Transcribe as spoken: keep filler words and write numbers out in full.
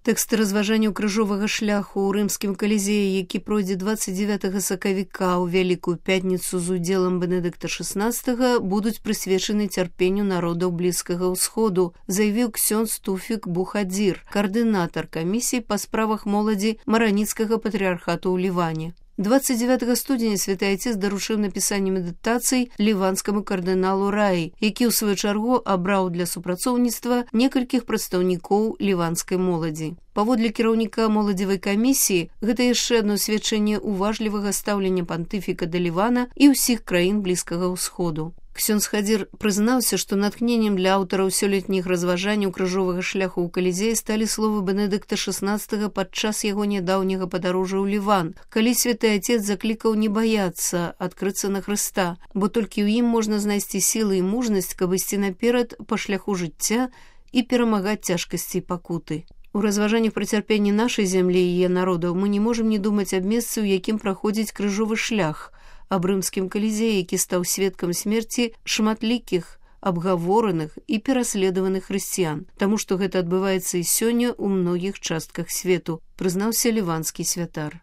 Тэксты разважанняў крыжовага шляху ў рымскім калізеі, які пройдзе дваццаць дзевятага сакавіка ў Вялікую пятніцу з удзелам Бенедыкта шаснаццатага, будуць прысвечаны цярпенню народаў Блізкага ўсходу, заявіў ксёндз Туфік Бухадзір, каардынатар камісіі па справах моладзі Мараніцкага патрыархату ў Ліване. дваццаць дзевятага студзеня святы Айцец даручыў напісанне медытацый ліванскаму кардыналу Раі, які ў сваю чаргу абраў для супрацоўніцтва некалькіх прадстаўнікоў ліванскай моладзі. Паводле кіраўніка моладзевай камісіі, гэта яшчэ адно сведчанне уважлівага стаўлення пантыфіка да Лівана і ўсіх краін Блізкага ўсходу. Ксёндз Хадзір прызнаўся, што натхненнем для аўтараў сёлетніх разважанняў крыжовага шляху ў калізеі сталі словы Бенедыкта шаснаццатага падчас яго нядаўняга падарожжа ў Ліван, калі святы Айцец заклікаў не баяцца адкрыцца на Хрыста, бо толькі ў ім можна знайсці сілы і мужнасць, каб ісці наперад па шляху жыцця і перамагаць цяжкасці і пакуты. У разважаннях пра цярпенне нашай зямлі і яе народаў мы не можам не думаць аб месцы, у якім праходзіць крыжовы шлях, аб рымскім калізеі, які стаў сведкам смерці шматлікіх, абгавораных і пераследаваных хрысціян, таму што гэта адбываецца і сёння ў многіх частках свету, прызнаўся ліванскі святар.